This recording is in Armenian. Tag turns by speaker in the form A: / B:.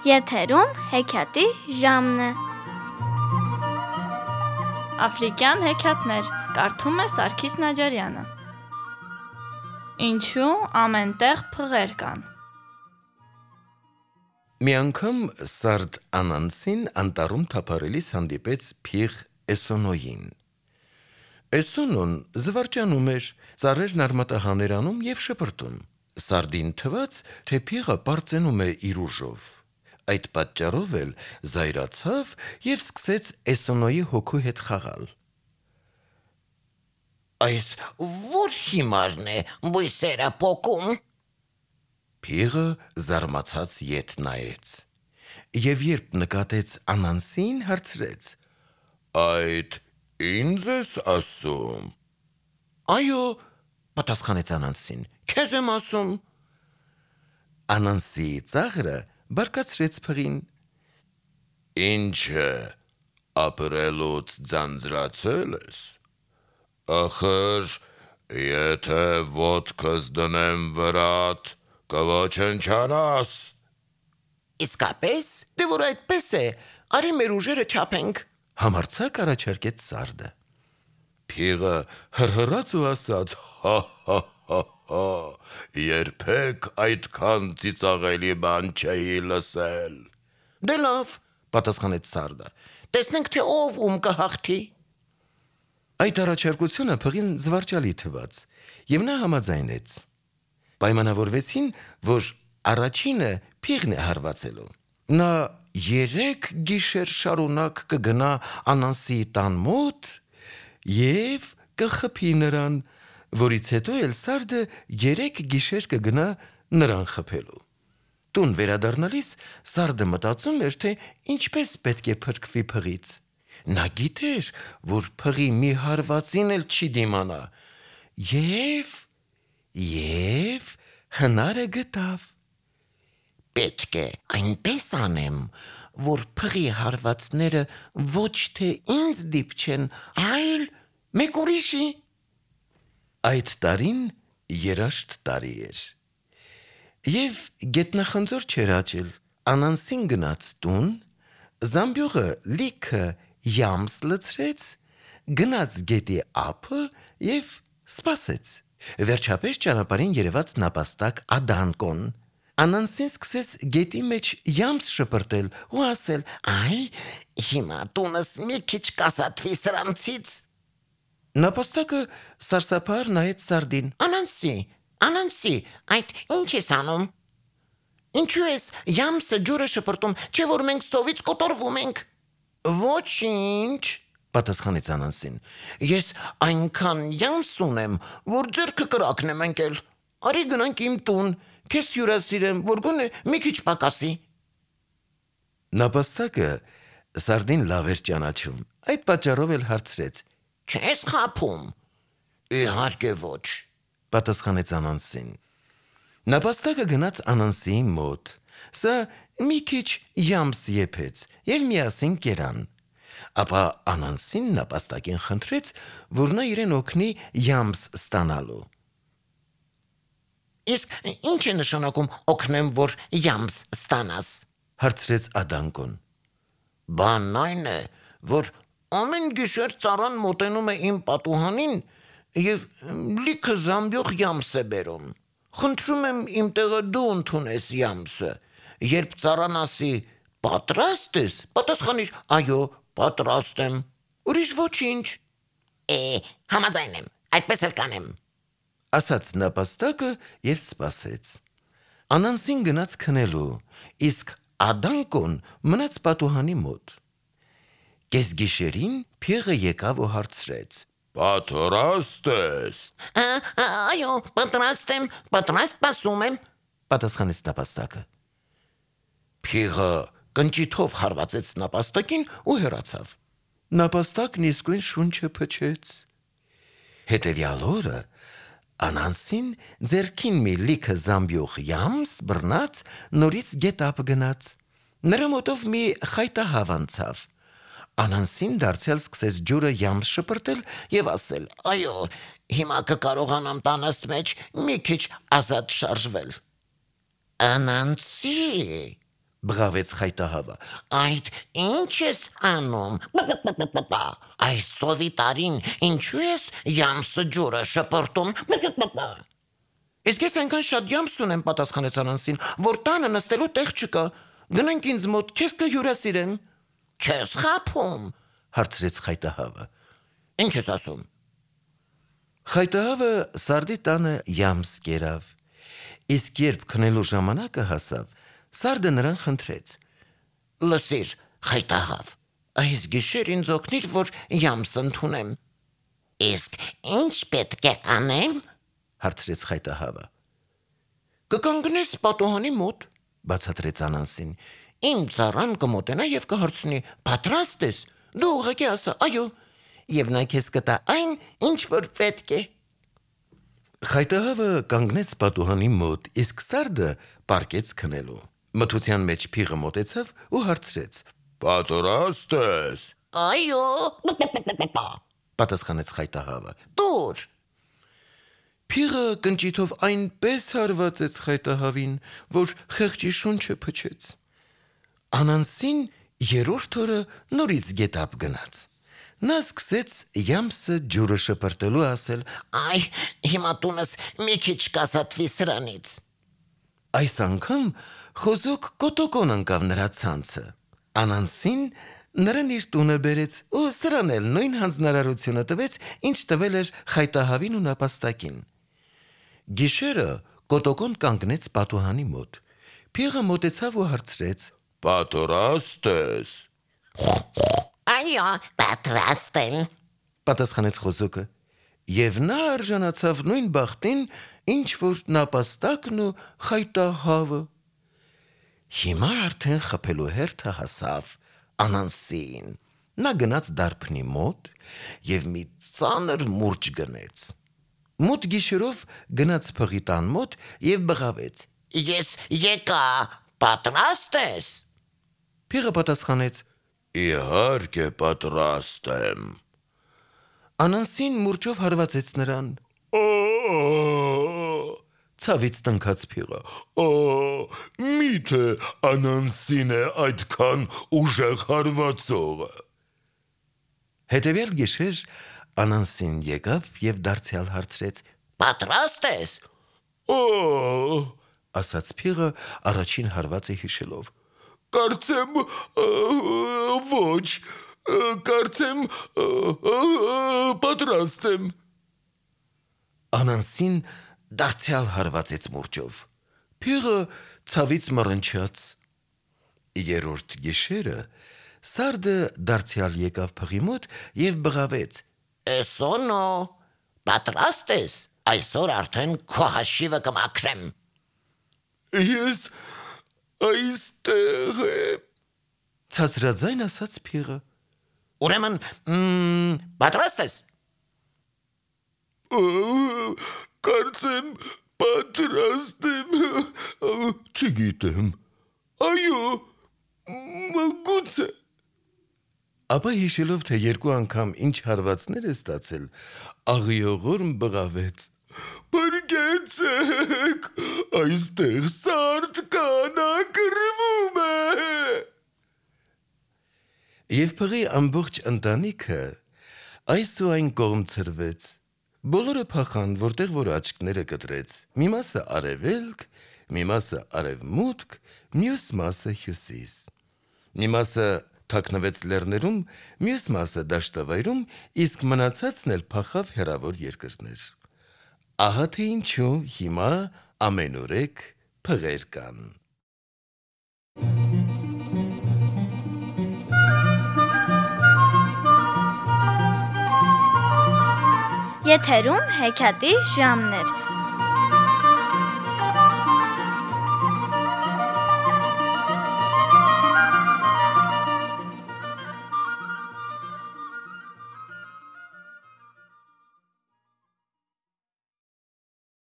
A: Եթերում հեքիաթի ժամն է։
B: Աֆրիկյան հեքիաթներ կարդում է Սարգիս Նաջարյանը։ Ինչու ամենտեղ փղեր կան։
C: Մի անգամ Սարդ Անանսին անտառում թափառելիս հանդիպեց փիղ Էսոնոյին։ Էսոնոն զվարճանում էր, ծառերն արմատահաներ անում և շպրտում։ Սարդին թվաց, թե փիղը պարծենում է իր ուժով։ Այդ պատճառով էլ զայրացավ և սկսեց Էսոնոյի հոգու հետ խաղալ։
D: Այս որ հիմարն է բույսերը պոկում։
C: Փիղը զարմացած ետ նայեց և երբ նկատեց Անանսին, հարցրեց. Այդ ինձ ես ասում։
D: Այո, պատասխանեց Անանսին, քեզ եմ ասում։
C: Անանսի ծաղրը բարկացրեց փղին։ Ինչ է, ապրելուց ձանձրացել ես։ Ախր, եթե ոտքս դնեմ վրատ, կոչնչանաս։
D: Իսկապես, դե որ այդպես է, արի մեր ուժերը չափենք,
C: համարձակ առաջարկեց Սարդը։ Փիղը հրհրաց ու ասաց. հա, երբեք այդքան ծիծաղելի բան չէի լսել։
D: Դե լավ, պատասխանեց Սարդը, տեսնենք թե ով ում կհաղթի։
C: Այդ առաջարկությունը փղին զվարճալի թվաց, և նա համաձայնեց։ Պայմանավորվեցին, որ առաջինը փիղն է հարվածելու։ Նա 3 գիշեր շարունակ կգնա Անանսի տան մոտ և կխփի նրան, որից հետո էլ Սարդը 3 գիշեր կգնա նրան խփելու։ Տուն վերադառնալիս Սարդը մտածում էր, թե ինչպես պետք է փրկվի փղից։ Նա գիտեր, որ փղի մի հարվածին էլ չի դիմանա, և հնարը գտավ։
D: Պետք է այնպես անեմ, որ փղի հարվածները ոչ թե ինձ դիպչեն, այլ մեկ ուրիշի։
C: Այդ տարին երաշտ տարի էր, և գետնախնձոր չէր աճել։ Անանսին գնաց տուն, զամբյուղը լիքը յամս լցրեց, գնաց գետի ափը և սպասեց։ Վերջապես ճանապարհին երևաց նապաստակ Ադանկոն։ Անանսին սկսեց գետի մեջ յամս շպրտել ու ասել.
D: Այ, հիմա տունս մի քիչ կասատվի սրանցից։
C: Նապաստակը սարսափահար նայեց Սարդին.
D: Անանսի, այդ ինչ ես անում։ Ինչու ես յամսը ջուրը շպրտում, չէ որ մենք սովից կոտորվում ենք։ Ոչինչ, պատասխանեց Անանսին, ես այնքան յամս ունեմ, որ ձեռքը կրակն եմ ընկել։ Արի գնանք իմ տուն, քեզ հյուրասիրեմ, որ գոնե մի քիչ պակասի։
C: Նապաստակը Սարդին լավ էր ճանաչում, այդ պատճառով էլ հարցրեց.
D: Չես խաբում։ Իհարկե ոչ,
C: պատասխանեց Անանսին։ Նապաստակը գնաց Անանսիի մոտ, սա մի քիչ յամս եփեց և միասին կերան։ Ապա Անանսին նապաստակին խնդրեց, որ նա իրեն օգնի յամս ստանալու։
D: Իսկ ինչ է նշանակում օգնեմ, որ յամս ստանաս,
C: հարցրեց Ադանկոն։
D: Բանն այն է, որ ամեն գիշեր ծառան մոտենում է իմ պատուհանին և լիքը զամբյուղ յամս է բերում։ Խնդրում եմ իմ տեղը դու ընդունես յամսը։ Երբ ծառան ասի պատրաստ ես, պատասխանիր այո, պատրաստ եմ։ Ուրիշ ոչինչ։ Համաձայն եմ, այդպես էլ կանեմ,
C: ասաց նապաստակը և սպասեց։ Անանսին գնաց քնելու, իսկ Ադանկոն մնաց պատուհանի մոտ։ Կեսգիշերին փիղը եկավ ու հարցրեց. Պատրաստ ես։
D: Այո, պատրաստ եմ, պատրաստ պասում եմ,
C: պատասխանեց նապաստակը։
D: Փիղը կնճիթով հարվածեց նապաստակին ու հեռացավ։
C: Նապաստակն իսկույն շունչը փչեց։ Հետևյալ օրը Անանսին ձեռքին մի լիքը զամբյուղ յամս բռնած նորից գետապ գնաց։ Նրա մոտով մի խայտահավ անցավ։ Անանսին դարձյալ սկսեց ջուրը յամս շպրտել և ասել.
D: Այո, հիմա կկարողանամ տանս մեջ մի քիչ ազատ շարժվել։ Անանսի,
C: բղավեց խայտահավը։
D: Այդ ինչ ես անում։ Այս սովի տարին ինչու ես յամսը ջուրը շպրտում։
C: Իսկ ես այնքան շատ յամս ունեմ, պատասխանեց Անանսին, որ տանը նստելու տեղ չկա։ Գնանք ինձ մոտ, քեզ կհյուրասիրեմ։
D: Չես խաբում։
C: Հարցրեց խայտահավը։
D: Ինչ ես ասում։
C: Խայտահավը Սարդի տանը յամս կերավ։ Իսկ երբ քնելու ժամանակը հասավ, Սարդը նրան խնդրեց.
D: Լսիր, խայտահավ, այս գիշեր ինձ օգնիր, որ յամս ընդունեմ։ Իսկ ինչ պետք է անեմ։
C: Հարցրեց խայտահավը։
D: Կկանգնես պատուհանի մոտ,
C: Բացատրեց Անանսին։
D: իմ ծառան կմոտենա եւ կհարցնի. Պատրաստ ես։ Դու ուղղակի ասա. այո, եւ նա քեզ կտա այն, ինչ որ պետք է։
C: Խայտահավը կանգնեց պատուհանի մոտ, իսկ Սարդը պառկեց քնելու։ Մթության մեջ փիղը մոտեցավ ու հարցրեց.
D: Պատրաստ ես։ Այո,
C: Պատասխանեց խայտահավը։
D: դուր։
C: Փիղը կնճիթով այնպես հարվածեց խայտահավին, որ խեղճի շունչը փչեց։ Անանսին երրորդ օրը նորից գետապ գնաց։ Նա սկսեց յամսը ջուրը շպրտելու ասել.
D: Այ, հիմա տունս մի քիչ կազատվի սրանից։
C: Այս անգամ խոզոք կոտոկոն ընկավ նրա ցանցը։ Անանսին նրան իր տունը բերեց ու սրան էլ նույն հանձնարարությունը տվեց, ինչ տվել էր խայտահավին ու նապաստակին։ Գիշերը կոտոկոն կանգնեց պատուհանի մոտ։ Փիղը մոտեցավ ու հարցրեց.
D: Պատրաստ ես։ Այո, պատրաստ եմ։
C: Պատասխանեց խոզոկը։ Եվ նա արժանացավ նույն բախտին, ինչ որ նապաստակն ու խայտահավը։ Հիմա արդեն խփելու հերթը հասավ Անանսին։ Նա գնաց դարբնի մոտ եւ մի ծանր մուրճ գնեց։ Մութ գիշերով գնաց փղի տան մոտ եւ բղավեց.
D: Ես եկա, պատրաստ ես։
C: Փիղը պատասխանեց.
D: Իհարկե պատրաստ եմ։
C: Անանսին մուրճով հարվածեց նրան։ Ցավից տնքաց փիղը։
D: Միթե Անանսին է այդքան ուժեղ հարվածողը։
C: Հետևյալ գիշեր Անանսին եկավ եւ դարձյալ հարցրեց.
D: Պատրաստ ես։
C: Ասաց փիղը առաջին հարվածը հիշելով։
D: Կարծեմ ոչ, կարծեմ պատրաստ եմ։
C: Անանսին դարձյալ հարվածեց մուրճով։ Փիղը ցավից մռնչաց։ Երրորդ գիշերը Սարդը դարձյալ եկավ փղի մոտ եւ բղավեց.
D: Էսոնո, պատրաստ ես։ Այսօր արդեն քո հաշիվը կմաքրեմ։ Ես այստեղ եմ։
C: Ցածրաձայն ասաց փիղը։
D: Ուրեմն, պատրաստ ես։ Կարծեմ պատրաստ եմ։ Չգիտեմ։ Այո, գուցե։
C: Ապա հիշելով, թե երկու անգամ ինչ հարվածներ է ստացել, աղիողորմ բղավեց.
D: Բրգեցեք, այստեղ սարդ կանա կռվում է։
C: Եվ փղի ամբողջ ընտանիքը այս ու այն կողմ ցրվեց։ Բոլորը փախան, որտեղ որ աչքները կտրեց։ Մի մասը արևելք, մի մասը արևմուտք, մյուս մասը հյուսիս։ Մի մասը թաքնվեց լեռներում, մյուս մասը դաշտավայրում, իսկ մնացածն էլ փախավ հեռավոր երկրներ։ Ահա թե ինչու հիմա ամենուրեք փղեր կան։
A: Եթերում հեքիաթի ժամն էր։